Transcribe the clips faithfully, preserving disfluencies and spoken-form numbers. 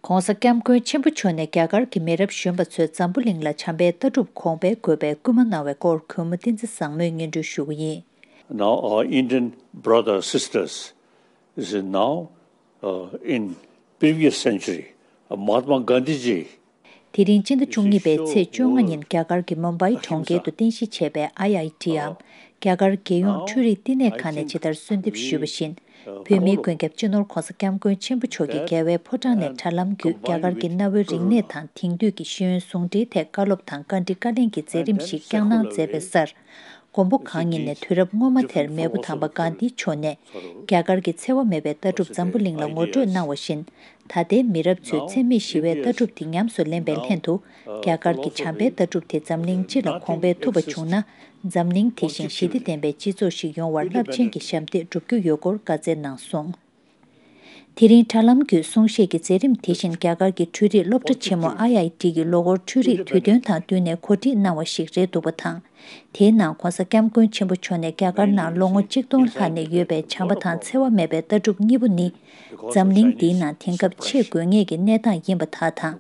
༸གོང་ས་༸སྐྱབས་མགོན་ཆེན་པོ་མཆོག་ནས་རྒྱ་གར་གྱི་མི་རབས་གཞོན་པ་ཚོས་འཛམ་བུ་གླིང་ལ་བྱམས་པའི་ལྟ་གྲུབ་གོང་འཕེལ་དགོས་པའི་སྐུལ་མ་གནང་བའི་སྐོར་གུས་མོ་བསྟན་འཛིན་བཟང་མོས་སྙན་སྒྲོན་ཞུ་གི་ཡིན། Now our Indian brothers sisters is now uh, in previous century. Uh, Mahatma Gandhi ji དེ་རིང་སྤྱི་ཟླ་བཅུ་གཉིས་པའི་ཚེས་བཅོ་ལྔ་ཉིན་རྒྱ་གར་གྱི་མུམ་བྷའི་གྲོང་ཁྱེར་དུ་རྟེན་གཞི་བྱས་པའི་ཨའི་ཨའི་ཊིའམ་རྒྱ་གར་རྒྱལ་ཡོངས་འཕྲུལ་རིག་བསྟི་གནས་ཁང་ནས་ཇི་ལྟར་གསོལ་འདེབས་ཞུས་པ་བཞིན། བོད་མིའི་མགོན་སྐྱབས་སྤྱི་ནོར་༸གོང་ས་༸སྐྱབས་མགོན་ཆེན་པོ་མཆོག་གིས་རྒྱལ་བའི་ཕོ་བྲང་ནས་དྲ་ལམ་བརྒྱུད་རྒྱ་གར་གྱི་གནའ་བོའི་རིག་གནས་དང་དེང་དུས་ཀྱི་ཤེས་ཡོན་ཟུང་འབྲེལ་ཐད་བཀའ་སློབ་དང་བཀའ་འདྲི་བཀའ་ལན་གྱི་མཛད་རིམ་ཞིག་བསྐྱངས་གནང་མཛད་པའི་སར། མགོན་པོ་གང་ཉིད་ནས་དུས་རབས་སྔོན་མ་དེར་མེས་པོ་དམ་པ་གྷན་དྷི་མཆོག་ནས་རྒྱ་གར་གྱི་འཚེ་བ་མེད་པའི་ལྟ་གྲུབ་འཛམ་བུ་གླིང་ལ་ངོ་སྤྲོད་གནང་བ་བཞིན། ད་ལྟའི་མི་རབས་ཚོས་འཚེ་མེད་ཞི་བའི་ལྟ་གྲུབ་དེ་ཉམས་སུ་ལེན་པའི་ལྷན་དུ། རྒྱ་གར་གྱི་བྱམས་པའི་ལྟ་གྲུབ་དེ་འཛམ་གླིང་སྤྱི་ལ་གོང་འཕེལ་ཐུབ་པ་བྱུང་ན། འཛམ་གླིང་དེ་བཞིན་ཞི་བདེ་ལྡན་པའི་སྤྱི་ཚོགས་ཤིག་ཡོང་བར་རླབས་ཆེན་གྱི་ཞབས་འདེགས་སྒྲུབ་རྒྱུ་ཡོད་སྐོར་བཀའ་སྩལ་གནང་སོང་། དེ་རིང་དྲ་ལམ་བརྒྱུད་གསུང་བཤད་ཀྱི་མཛད་རིམ་དེ་བཞིན་རྒྱ་གར་གྱི་འཕྲུལ་རིག་སློབ་གྲྭ་ཆེན་མོ་ཨའི་ཨའི་ཊི་གི་ལོ་འཁོར་འཕྲུལ་རིག་དུས་སྟོན་དང་བསྟུན་ནས་གོ་སྒྲིག་གནང་བ་ཞིག་རེད་འདུག་པ་དང་། དེའི་ནང་༸གོང་ས་༸སྐྱབས་མགོན་ཆེན་པོ་མཆོག་ནས་རྒྱ་གར་ནང་ལོ་ངོ་གཅིག་སྟོང་ལྷག་ནས་ཡོད་པའི་བྱམས་པ་དང་འཚེ་བ་མེད་པའི་ལྟ་གྲུབ་གཉིས་པོ་ནི། འཛམ་གླིང་འདིའི་ནང་དེང་སྐབས་ཆེས་དགོས་ངེས་ཀྱི་གནས་སྟངས་ཡིན་པ་དག་དང་།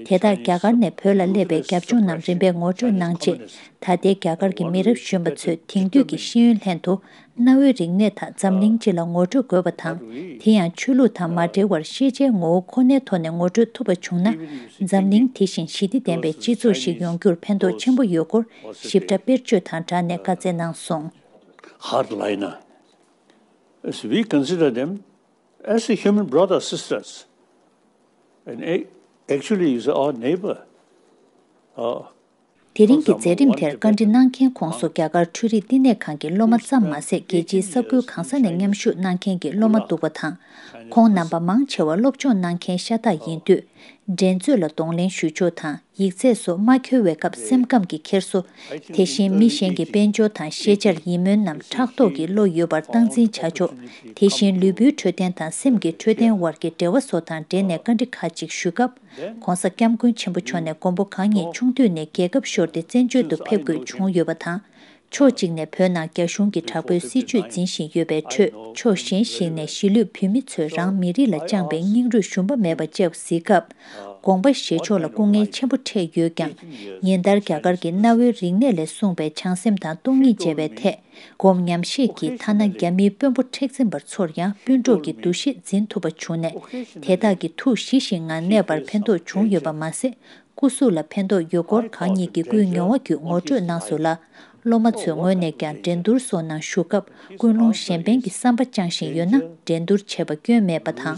དེ་དག་རྒྱ་གར་ནས་བོད་ལ་སླེབས་པའི་རྒྱབ་ལྗོངས་རྣམས་རིམ་པས་ངོ་སྤྲོད་གནང་རྗེས། ད་ལྟའི་རྒྱ་གར་གྱི་མི་རབས་གཞོན་པ་ཚོས་དེང་དུས་ཀྱི་ཤེས་ཡོན་ལྷན་དུ། གནའ་བོའི་རིག་གནས་དག་འཛམ་གླིང་སྤྱི་ལ་ངོ་སྤྲོད་དགོས་པ་དང་། དེ་ཡང་ཆོས་ལུགས་དང་མ་འབྲེལ་བར་ཤེས་བྱའི་ངོ་བོ་ཁོ་ནའི་ཐོག་ནས་ངོ་སྤྲོད་ཐུབ་པ་བྱུང་ན། འཛམ་གླིང་དེ་བཞིན་ཞི་བདེ་ལྡན་པའི་སྤྱི་ཚོགས་ཤིག་ཡོང་རྒྱུར་ཕན་ཐོགས་ཆེན་པོ་ཡོད་སྐོར་ཞིབ་ཕྲ་དཔེར་བརྗོད་དང་སྦྲགས་ནས་བཀའ་སྩལ་གནང་སོང་། Hardliner. As we consider them as a human brother, sisters, and a- actually is our neighbor. Uh, དེ་རིང་གི་མཛད་རིམ་དེར་བཀའ་འདྲི་གནང་མཁན་ཁོངས་སུ་རྒྱ་གར་འཕྲུལ་རིག་བསྟི་གནས་ཁང་གི་སློབ་མ་ཙམ་མ་ཟད། རྒྱལ་སྤྱིའི་ས་ཁུལ་གང་ས་ནས་མཉམ་ཞུགས་གནང་མཁན་གྱི་སློབ་མ་འདུག་པ་དང་། ཁོང་རྣམ་པ་མང་ཆེ་བ་སློབ་སྦྱོང་གནང་མཁན་ཤ་སྟག་ཡིན་དུས། འགྲན་རྩོད་ལ་གདོང་ལེན་ཞུ་ཕྱོགས་དང་། ཡིག་ཚད་སོགས་མ་འཁྱོལ་བའི་སྐབས་སེམས་ཁམས་ཀྱི་འཁྱེར་སོ། དེ་བཞིན་མི་གཞན་གྱི་དཔལ་འབྱོར་དང་ཤེས་བྱར་ཡིད་སྨོན་ནམ་ཕྲག་དོག་གི་བློ་ཡོད་པར་སྟངས་འཛིན་བྱ་ཕྱོགས། དེ་བཞིན་ལུས་པོའི་འཕྲོད་བསྟེན་དང་སེམས་ཀྱི་འཕྲོད་བསྟེན་བར་གྱི་འབྲེལ་བ་སོགས་དང་འབྲེལ་ནས་བཀའ་འདྲི་ཁག་ཅིག་ཞུས་སྐབས། ༸གོང་ས་༸སྐྱབས་མགོན་ཆེན་པོ་མཆོག་ནས་མགོན་པོ་གང་ཉིད་ཆུང་དུས་ནས་རྒྱལ་ཁབ་ཤོར་ཏེ་བཙན་བྱོལ་དུ་ཕེབས་དགོས་བྱུང་ཡོད་པ་དང་། ཕྱོགས་གཅིག་ནས་བོད་ནང་རྒྱ་གཞུང་གིས་དྲག་པོའི་སྲིད་བྱུས་འཛིན་བཞིན་ཡོད་པའི་ཁྲོད། ཕྱོགས་གཞན་ཞིག་ནས་གཞིས་ལུས་བོད་མི་ཚོས་རང་མི་རིགས་ལ་བཅངས་པའི་སྙིང་རུས་ཞུམ་པ་མེད་པ་བཅས་གཟིགས་སྐབས། དགོངས་པ་བཞེས་ཕྱོགས་ལ་སྐུ་ངལ་ཆེན་པོ་འཕྲད་ཡོད་ཀྱང་། ཉིན་ལྟར་རྒྱ་གར་གྱི་གནའ་བོའི་རིག་གནས་ལས་གསུངས་པའི་བྱང་སེམས་དང་སྟོང་ཉིད་བཅས་པའི་ཐད། སྒོམ་ཉམས་བཞེས་ཀྱིས་ཐ་ན་རྒྱ་མིའི་དཔོན་པོ་མཁྲེགས་འཛིན་པ་ཚོར་ཡང་སྤུན་གྲོགས་ཀྱི་འདུ་ཤེས་འཛིན་ཐུབ་པ་བྱུང་ནས། དེ་དག་གི་ཐུགས་ཞི་ཞིང་ངང་གནས་པར་ཕན་ཐོགས་བྱུང་ཡོད་པ་མ་ཟད། སྐུ་གཟུགས་ལ་ཕན་ཐོགས་ཡོད་སྐོར་གང་ཉིད་ཀྱི་སྐུའི་མྱོང་བ་བརྒྱུད་ངོ་སྤྲོད་གནང་སོང་ལ། སློབ་མ་ཚོའི་ངོས་ནས་ཀྱང་འགྲན་བསྡུར་སོགས་ནང་ཞུགས་སྐབས་ཀུན་སློང་གཞན་ཕན་གྱི་བསམ་པ་བཅངས་བཞིན་ཡོད་ན་འགྲན་བསྡུར་བྱེད་པ་སྐྱོན་མེད་པ་དང་།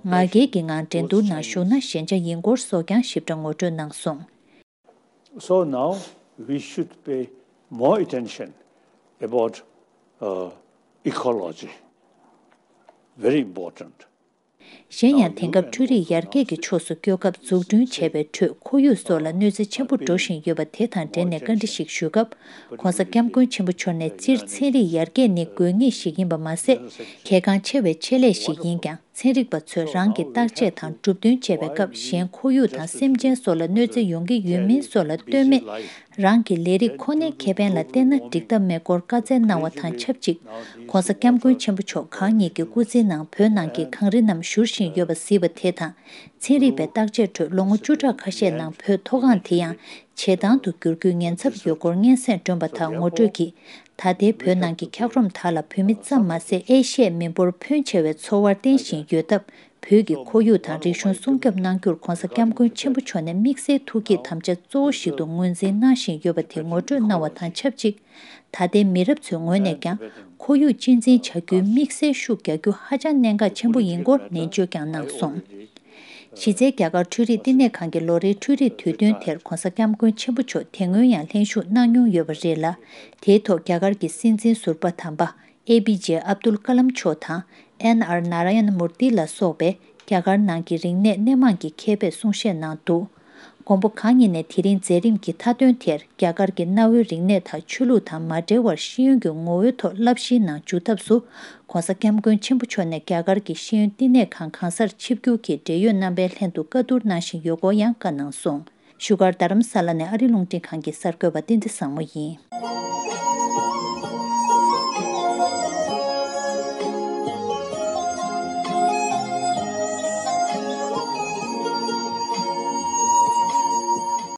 ང་རྒྱལ་གྱི་ངང་འགྲན་བསྡུར་ནང་ཞུགས་ན་ཞན་ཆ་ཡིན་སྐོར་སོགས་ཀྱང་ཞིབ་ཕྲ་ངོ་སྤྲོད་གནང་སོང་། So now we should pay more attention about uh, ecology. Very important. གཞན་ཡང་དེང་སྐབས་འཕྲུལ་རིག་ཡར་རྒྱས་ཀྱི་ཕྱོགས་སུ་སྐྱོད་སྐབས་འཛུགས་སྐྲུན་བྱས་པའི་ཁྲོད་ཁོར་ཡུག་སོགས་ལ་གནོད་འཚེ་ཆེན་པོ་འགྲོ་བཞིན་ཡོད་པ་དེ་དང་འབྲེལ་ནས་བཀའ་འདྲི་ཞིག་ཞུས་སྐབས། ༸གོང་ས་༸སྐྱབས་མགོན་ཆེན་པོ་མཆོག་ནས་སྤྱིར་ཚན་རིག་ཡར་རྒྱས་ནི་དགོས་ངེས་ཤིག་ཡིན་པ་མ་ཟད། གལ་འགངས་ཆེ་བའི་ཆེད་ལས་ཤིག་ཡིན་ཀྱང་། ཚན་རིག་པ་ཚོས་རང་གི་བརྟག་དཔྱད་དང་གྲུབ་དོན་བྱེད་པའི་སྐབས་གཞན་ཁོར་ཡུག་དང་སེམས་ཅན་སོགས་ལ་གནོད་འཚེ་ཡོང་གི་ཡོད་མིན་སོགས་ལ་ལྟོས་མེད། རང་གི་ལས་རིགས་ཁོ་ནའི་ཁེ་ཕན་ལ་བལྟས་ན་འགྲིག་ཐབས་མེད་སྐོར་བཀའ་སྩལ་གནང་བ་དང་ཆབས་ཅིག ༸གོང་ས་༸སྐྱབས་མགོན་ཆེན་པོ་མཆོག་གང་ཉིད་ཀྱི་སྐུ་ཚེའི་ནང་བོད་ནང་གི་གངས་རི་རྣམས་བཞུར་བཞིན་ཡོད་པ་གཟིགས་པ་དེ་དང་། ཚན་རིག་པའི་བརྟག་དཔྱད་ཁྲོད་ལོ་ངོ་བཅུ་ཕྲག་ཁ་ཤས་ནང་བོད་མཐོ་སྒང་དེ་ཡང་བྱེ་ཐང་དུ་འགྱུར་རྒྱུའི་ཉེན་ཚབས་ཡོད་སྐོར་སྙན་སེང་བསྒྲོན་པ་དང་ངོ་སྤྲོད་ཀྱིས། ད་ལྟའི་བོད་ནང་གི་འཁྱགས་རོམ་དག་ལ་བོད་མི་ཙམ་མ་ཟད་ཨེ་ཤི་ཡའི་མི་འབོར་ཕོན་ཆེ་བས་ཚོར་བ་བརྟན་བཞིན་ཡོད་སྟབས། བོད་ཀྱི་ཁོར་ཡུག་དང་རིག་གཞུང་སྲུང་སྐྱོབ་གནང་རྒྱུར་༸གོང་ས་༸སྐྱབས་མགོན་ཆེན་པོ་མཆོག་ནས་དམིགས་བསལ་ཐུགས་བསྐྱེད་དམ་བཅའ་གཙོ་བོ་ཞིག་ཏུ་ངོས་འཛིན་གནང་བཞིན་ཡོད་པ་དེ་ངོ་སྤྲོད་གནང་བ་དང་ཆབས་ཅིག་ད་ལྟའི་མི་རབས་ཚོའི་ངོས་ནས་ཀྱང་ཁོར་ཡུག་གཅེས་འཛིན་བྱ་རྒྱུའི་དམིགས་བསལ་ཤུགས་རྒྱག་རྒྱུ་ཧ་ཅང་གནད་འགག་ཆེན་པོ་ཡིན་སྐོར་ནན་བརྗོད་ཀྱང་གནང་སོང་། གཞི་རྩའི་རྒྱ་གར་འཕྲུལ་རིག་བསྟི་གནས་ཁང་གི་ལོ་རེའི་འཕྲུལ་རིག་དུས་སྟོན་དེར་༸གོང་ས་༸སྐྱབས་མགོན་ཆེན་པོ་མཆོག་དེ་སྔོན་ཡང་ལྷན་ཞུགས་གནང་མྱོང་ཡོད་པ་རེད་ལ། དེའི་ཐོག་རྒྱ་གར་གྱི་སྲིད་འཛིན་ཟུར་པ་དམ་པ། ཨེ་པི་ཇེ་ཨབ་དུལ་ཀ་ལམ་མཆོག་དང་། ཨེན་ཨར་ནཱ་ར་ཡན་མུར་ཏི་ལ་སོགས་པས་རྒྱ་གར་ནང་གི་རིག་གནས་སྣེ་མང་གི་མཁས་པས་གསུང་བཤད་གནང་འདུག་མགོན་པོ་གང་ཉིད་ནས་དེ་རིང་མཛད་རིམ་གྱི་མཐའ་དོན་དེར་རྒྱ་གར་གྱི་གནའ་བོའི་རིག་གནས་དང་ཆོས་ལུགས་དང་མ་འབྲེལ་བར་ཤེས་ཡོན་གྱི་ངོ་བོའི་ཐོག་བསླབ་གཞིའི་ནང་འཇུག་ཐབས་སུ་༸གོང་ས་༸སྐྱབས་མགོན་ཆེན་པོ་མཆོག་ནས་རྒྱ་གར་གྱི་ཤེས་ཡོན་བསྟི་གནས་ཁང་གང་སར་ཆིབས་བསྒྱུར་གྱིས་འབྲེལ་ཡོད་རྣམ་པའི་ལྷན་དུ་བཀའ་བསྡུར་གནང་བཞིན་ཡོད་སྐོར་ཡང་བཀའ་གནང་སོང་། བཞུགས་སྒར་རྡ་རམ་ས་ལ་ནས་ཨ་རི་རླུང་འཕྲིན་ཁང་གི་གསར་འགོད་པ་བསྟན་འཛིན་བཟང་མོ་ཡིན།